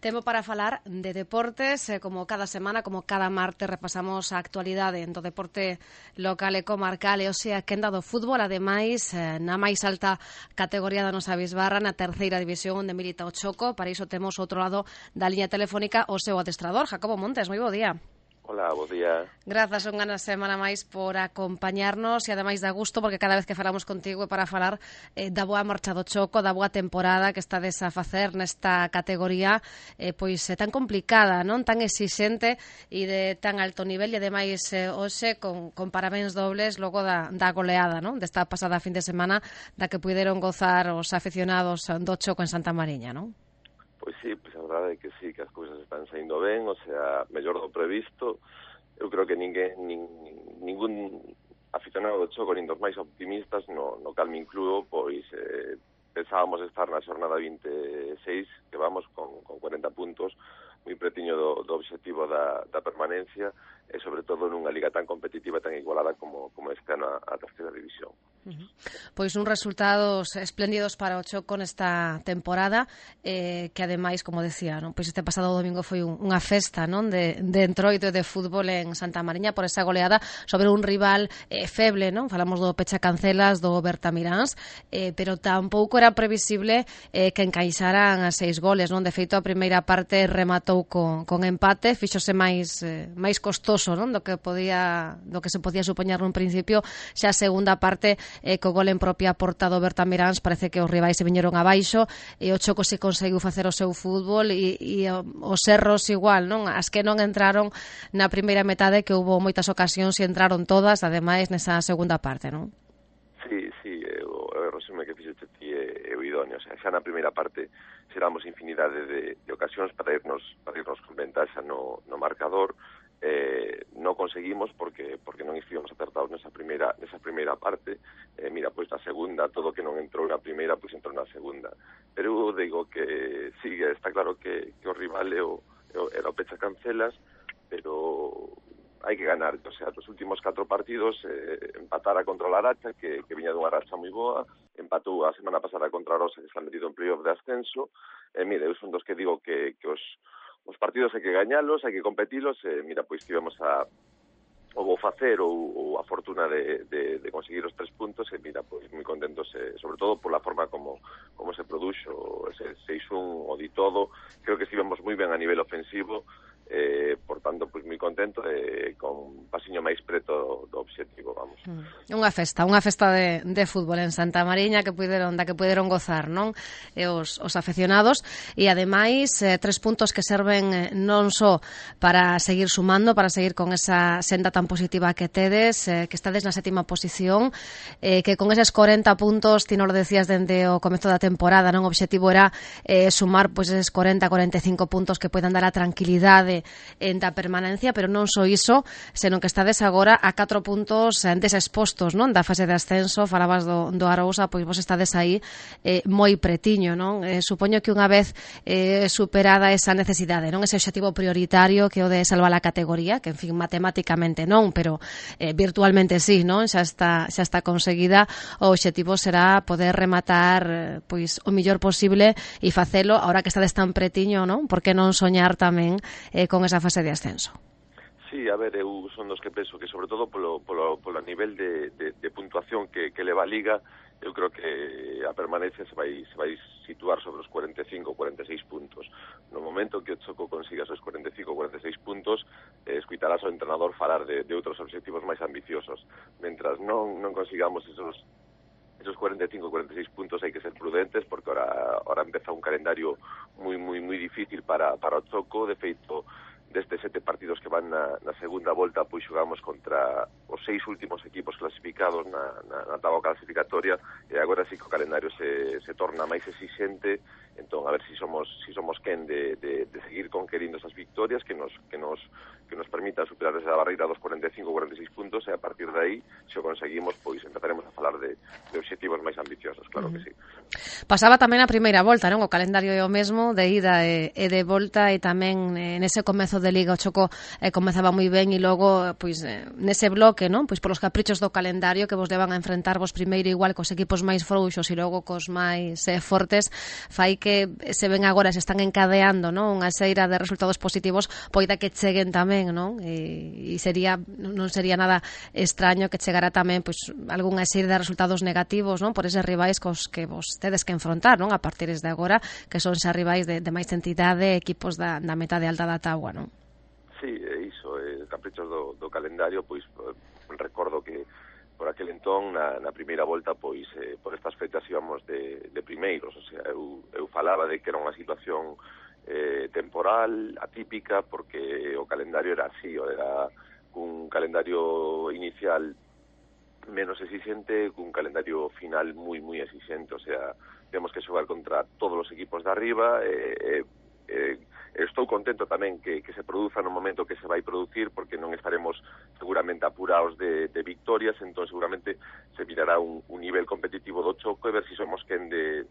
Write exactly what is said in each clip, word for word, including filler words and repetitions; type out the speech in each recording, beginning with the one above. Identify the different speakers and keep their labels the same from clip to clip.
Speaker 1: Tempo para falar de deportes, eh, como cada semana, como cada martes, repasamos a actualidade do deporte local e comarcal, e hoxe a quenda do fútbol, ademais, eh, na máis alta categoría da nosa bisbarra, na terceira división onde milita o Choco. Para iso temos outro lado da liña telefónica o seu adestrador, Jacobo Montes. Moi bo día.
Speaker 2: Hola, bo día.
Speaker 1: Grazas unha semana máis por acompañarnos e ademais da gusto, porque cada vez que falamos contigo é para falar eh, da boa marcha do Choco, da boa temporada que estades a facer nesta categoría eh, pois é tan complicada, non tan exixente e de tan alto nivel, e ademais eh, hoxe con, con parabéns dobles logo da, da goleada, non? Desta pasada fin de semana da que puderon gozar os aficionados do Choco en Santa Mariña, non?
Speaker 2: Pois sí, pois a verdade é que sí, que as cousas están saindo ben, o sea, mellor do previsto. Eu creo que ninguén, nin, ningún aficionado do Choco, nin dos máis optimistas, no, no cal me incluo, pois eh, pensábamos estar na xornada vinte e seis, que vamos con, con cuarenta puntos, moi pretiño do, do obxectivo da, da permanencia, e sobre todo nunha liga tan competitiva, tan igualada como, como este ano a, a terceira división.
Speaker 1: Uh-huh. Pois uns resultados espléndidos para o Choco nesta temporada, eh, que ademais, como decía, non? Pois este pasado domingo foi un, unha festa, non? De, de entroito de fútbol en Santa Mariña por esa goleada sobre un rival eh, feble, non? Falamos do Pechacancelas, do Bertamiráns, eh, pero tampouco era previsible eh, que encaixaran a seis goles, non? De feito, a primeira parte rematou con, con empate, fíxose máis eh, máis costoso, non? Do que podía, do que se podía supoñer nun principio. Xa a segunda parte e co gol en propia porta do Bertamiráns parece que os rivais se viñeron abaixo e o Choco se conseguiu facer o seu fútbol e, e os erros igual, non? As que non entraron na primeira metade, que houbo moitas ocasións e entraron todas, ademais, nesa segunda parte, non?
Speaker 2: Sí, sí, o, o resume que fixete ti é, é o idóneo, o sea, xa na primeira parte xeramos infinidade de, de ocasións para irnos, para irnos con ventaxa no, no marcador. Eh, non conseguimos porque porque non estivemos acertados nesa primeira nesa primeira parte. Eh, mira, pois na segunda, todo que non entrou na primeira, pois entrou na segunda. Pero eu digo que sí, está claro que, que o rival é o, era o Pechacancelas, pero hai que ganar. O sea, os últimos catro partidos eh, empatara contra o Laracha, que, que viña dunha racha moi boa, empatou a semana pasada contra a Rosa, que está metido en playoff de ascenso. E eh, mire, eu son dos que digo que, que os Os partidos hai que gañalos, hai que competilos, e mira, pois tivemos a o vou facer ou, ou a fortuna de, de, de conseguir os tres puntos, e mira, pois moi contentos, eh, sobre todo pola forma como, como se produxo ese seis un o di todo. Creo que estivemos moi ben a nivel ofensivo, eh, por tanto, pois moi contento e eh, con un pasiño máis preto do obxectivo, vamos.
Speaker 1: Mm. Unha festa, unha festa de, de fútbol en Santa Mariña que puderon, da que puderon gozar, non? E os, os aficionados, e ademais eh, tres puntos que serven eh, non só para seguir sumando, para seguir con esa senda tan positiva que tedes, eh, que estades na sétima posición, eh, que con eses corenta puntos, ti non lo decías dende o comezo da temporada, non? O obxectivo era eh, sumar pois eses corenta, corenta e cinco puntos que poidan dar a tranquilidade en da permanencia, pero non só iso, senón que estades agora a catro puntos deses postos, non? Da fase de ascenso. Falabas do, do Arousa, pois vos estades aí eh, moi pretiño, non? Eh, supoño que unha vez eh, superada esa necesidade, non? Ese obxectivo prioritario que o de salvar a categoría, que en fin, matemáticamente non, pero eh, virtualmente sí, non? Xa está, xa está conseguida. O obxectivo será poder rematar pois o mellor posible e facelo, ahora que estades tan pretiño, non? Por que non soñar tamén eh, con esa fase de ascenso?
Speaker 2: Sí, a ver, eu son dos que penso que sobre todo polo, polo, polo nivel de, de, de puntuación que, que leva a Liga, eu creo que a permanencia se vai, se vai situar sobre os cuarenta e cinco, cuarenta e seis puntos. No momento que o Choco consiga esos cuarenta e cinco, cuarenta e seis puntos, eh, escuitarás ao entrenador falar de, de outros obxectivos máis ambiciosos. Mentras non, non consigamos esos esos cuarenta e cinco, cuarenta e seis puntos, hai que ser prudentes, porque ahora, ahora empeza un calendario moi, moi, moi difícil para, para o Choco. De feito, destes sete partidos que van na, na segunda volta, pois xogamos contra os seis últimos equipos clasificados na, na, na táboa clasificatoria, e agora sí que o calendario se, se torna máis exixente. Entón, a ver si somos si somos quen de, de, de seguir conquerindo esas victorias que nos que nos que nos permitan superar esa barreira dos cuarenta e cinco, cuarenta e seis puntos, e a partir de aí, se o conseguimos, pois empezaremos a falar de, de obxectivos máis ambiciosos, claro uh-huh. que sí.
Speaker 1: Pasaba tamén a primeira volta, non? O calendario é o mesmo, de ida e, e de volta, e tamén eh, nese comezo de de Liga o Choco eh, comezaba moi ben e logo, pois, eh, nese bloque, non? Pois polos caprichos do calendario que vos levan a enfrentarvos primeiro igual cos equipos máis frouxos e logo cos máis eh, fortes, fai que se ven agora, se están encadeando, non? Unha xeira de resultados positivos, poida que cheguen tamén, non? E, e sería, non sería nada extraño que chegara tamén, pois, algunha xeira de resultados negativos, non? Por eses rivais cos que vos tedes que enfrontar, non? A partir de agora, que son xa rivais de, de máis entidade, equipos da, da metade alta da táboa, non?
Speaker 2: Sí, é iso, eh, caprichos do, do calendario, pois recordo que por aquel entón, na, na primeira volta, pois eh, por estas fechas íbamos de, de primeiros, o sea, eu, eu falaba de que era unha situación eh, temporal, atípica, porque o calendario era así, era un calendario inicial menos exigente, cun calendario final moi, moi exigente, o sea, temos que xogar contra todos os equipos de arriba, e eh, eh, estou contento tamén que, que se produza no momento que se vai producir, porque non estaremos seguramente apurados de, de victorias, entón seguramente se mirará un, un nivel competitivo do Choco e ver se si somos quen de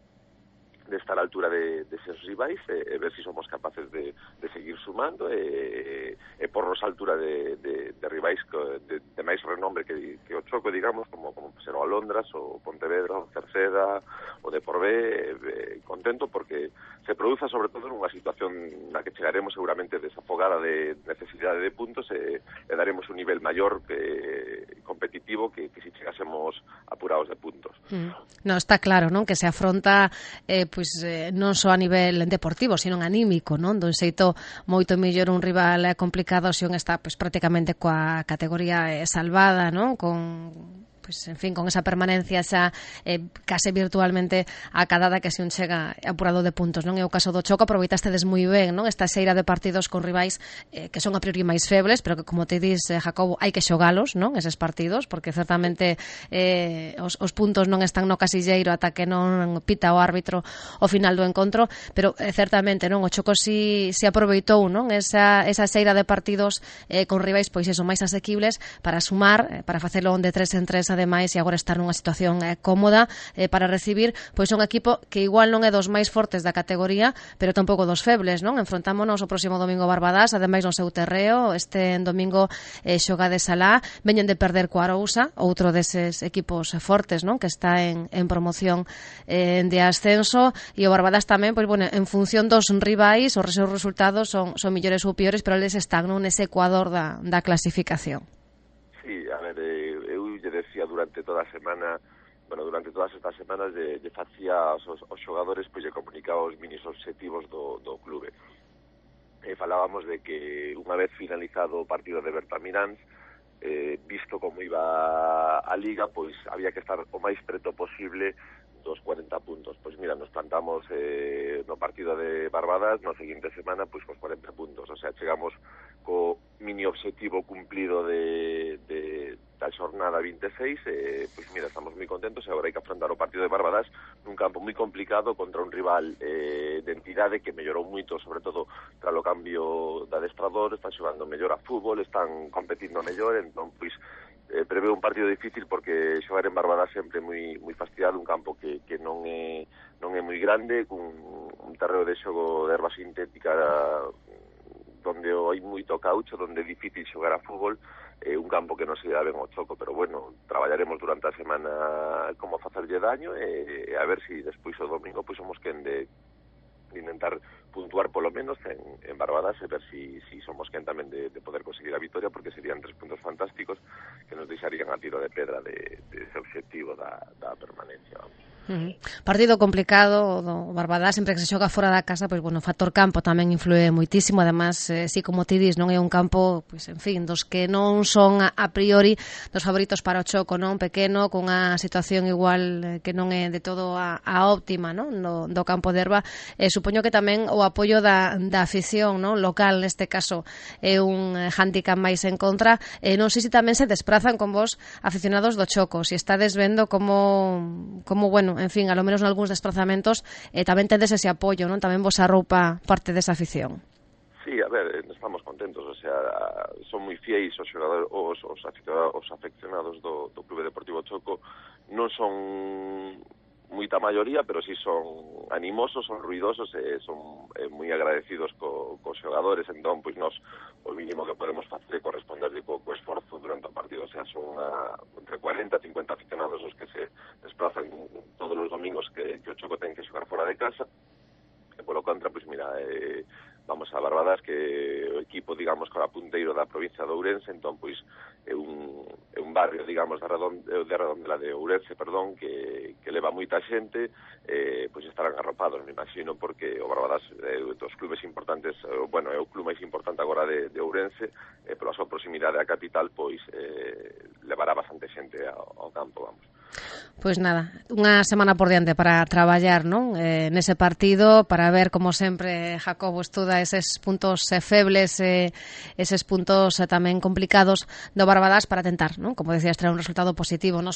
Speaker 2: de estar á altura de, de seus rivais e, e ver se si somos capaces de, de seguir sumando e, e pornos á altura de, de, de rivais de, de máis renombre que, que o Choco, digamos, como, como ser o Alondras, o Pontevedra, o Cerceda, o Deporvé, eh, contento porque se produza sobre todo nunha situación na que chegaremos seguramente desafogada de necesidade de puntos e, e daremos un nivel maior que, competitivo que, que si chegásemos apurados de puntos.
Speaker 1: Mm. No, está claro, non? Que se afronta eh, pois eh, non só a nivel deportivo, sino anímico, non? Dun xeito moito mellor un rival eh, complicado se un está pois prácticamente coa categoría eh, salvada, non? Con pois, en fin, con esa permanencia xa eh, case virtualmente acadada que se un chega apurado de puntos, non? É o caso do Choco, aproveitastedes moi ben, non? Esta xeira de partidos con rivais eh, que son a priori máis febles, pero que, como te dis, eh, Jacobo, hai que xogalos, non? Eses partidos, porque certamente eh, os, os puntos non están no casilleiro ata que non pita o árbitro ao final do encontro, pero eh, certamente, non? O Choco si, si aproveitou, non? Esa, esa xeira de partidos eh, con rivais, pois eso, máis asequibles para sumar, eh, para facelo de tres en tres ademais, e agora estar nunha situación eh, cómoda eh, para recibir pois un equipo que igual non é dos máis fortes da categoría, pero tampouco dos febles, non? Enfrontámonos o próximo domingo Barbadás, ademais no seu terreo, este domingo eh, xoga de Salá, veñen de perder co Arousa, outro deses equipos fortes, non? Que está en, en promoción eh, de ascenso, e o Barbadás tamén, pois, bueno, en función dos rivais, os seus resultados son, son millores ou piores, pero eles están non nese ecuador da, da clasificación.
Speaker 2: Sí, a ver, eh, eu lle decía durante toda a semana, bueno, durante todas estas semanas de, de facía aos, aos xogadores, pois lle comunicaba os minis obxectivos do, do clube. E falábamos de que unha vez finalizado o partido de Bertamiráns, eh, visto como iba a Liga, pois había que estar o máis preto posible dos cuarenta puntos. Pois mira, nos plantamos eh, no partido de Barbadas, na seguinte semana, pois cos cuarenta puntos. O sea, chegamos co mini obxectivo cumplido de, de da xornada vinte e seis, eh, pois mira, estamos moi contentos e agora hai que afrontar o partido de Barbadas nun campo moi complicado contra un rival eh, de entidade que mellorou moito, sobre todo tras o cambio de adestrador, están xogando mellor a fútbol, están competindo mellor, entón, pois, eh, prevé un partido difícil porque xogar en Barbadas sempre moi moi fastidiado, un campo que, que non é non é moi grande, cun un terreo de xogo de erva sintética donde hai moito caucho, donde é difícil xogar a fútbol, eh, un campo que non se dá ben ao Choco, pero bueno, traballaremos durante a semana como facerlle daño e, e a ver se si despois o domingo pois somos quen de, de intentar puntuar polo menos en, en Barbadas e ver si, si somos quen tamén de, de poder conseguir a victoria, porque serían tres puntos fantásticos que nos deixarían a tiro de pedra de, de ese obxectivo da, da permanencia, vamos.
Speaker 1: Uh-huh. Partido complicado do Barbadás, sempre que se xoga fora da casa, pois bueno, o factor campo tamén influe moitísimo, además, eh, si como ti dis, non é un campo, pois en fin, dos que non son a, a priori dos favoritos para o Choco, non? Pequeno, cunha situación igual eh, que non é de todo a, a óptima, non? No, do campo de erva, eh, supoño que tamén o apoio da, da afición, non? Local, neste caso, é un handicap máis en contra, eh, non sei se tamén se desprazan con vos aficionados do Choco, se estades vendo como, como bueno, en fin, a lo menos en algúns desplazamentos eh, tamén tendes ese apoio, non? Tamén vos arroupa parte desa afición.
Speaker 2: Sí, a ver, estamos contentos, o sea, son moi fieis os xogadores, os, os, aficionados, os afeccionados do, do Clube Deportivo Choco, non son moita maioría, pero sí son animosos, son ruidosos e son eh, moi agradecidos co, cos xogadores. Entón, pois nós o mínimo que podemos facer é corresponderle co, co esforzo durante o partido. O sea, son una, entre cuarenta e cincuenta aficionados os que se desplazan todos os domingos que, que o Choco ten que xogar fora de casa. E polo contra, pois mira, eh, vamos a Barbadas, que o equipo, digamos, que era punteiro da provincia de Ourense, entón, pois, é un, é un barrio, digamos, de, Redond, de Redondela de Ourense, perdón, que, que leva moita xente, eh, pois estarán arropados, me imagino, porque o Barbadas é eh, dos clubes importantes, eh, bueno, é o club máis importante agora de, de Ourense, eh, pola súa proximidade á capital, pois, eh, levará bastante xente ao, ao campo, vamos.
Speaker 1: Pois nada, unha semana por diante para traballar, non? Eh, nese partido, para ver, como sempre, Jacobo estuda eses puntos eh, febles, eh, eses puntos eh, tamén complicados do Barbadas para tentar, non? Como decías, traer un resultado positivo, non?